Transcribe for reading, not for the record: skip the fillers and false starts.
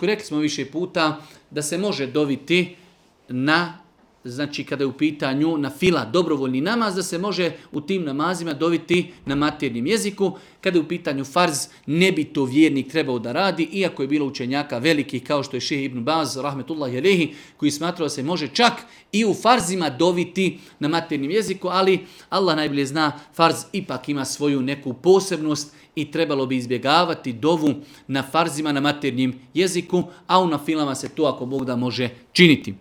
rekli smo više puta da se može doviti na, znači kada je u pitanju na fila dobrovoljni namaz, da se može u tim namazima doviti na maternjem jeziku. Kada je u pitanju farz, ne bi to vjernik trebao da radi, iako je bilo učenjaka velikih kao što je Šejh Ibn Baz, rahmetullahi alejhi, koji smatrao da se može čak i u farzima doviti na maternjem jeziku, ali Allah najbolje zna, farz ipak ima svoju neku posebnost i trebalo bi izbjegavati dovu na farzima na maternjem jeziku, a u nafilama se to ako Bog da može činiti.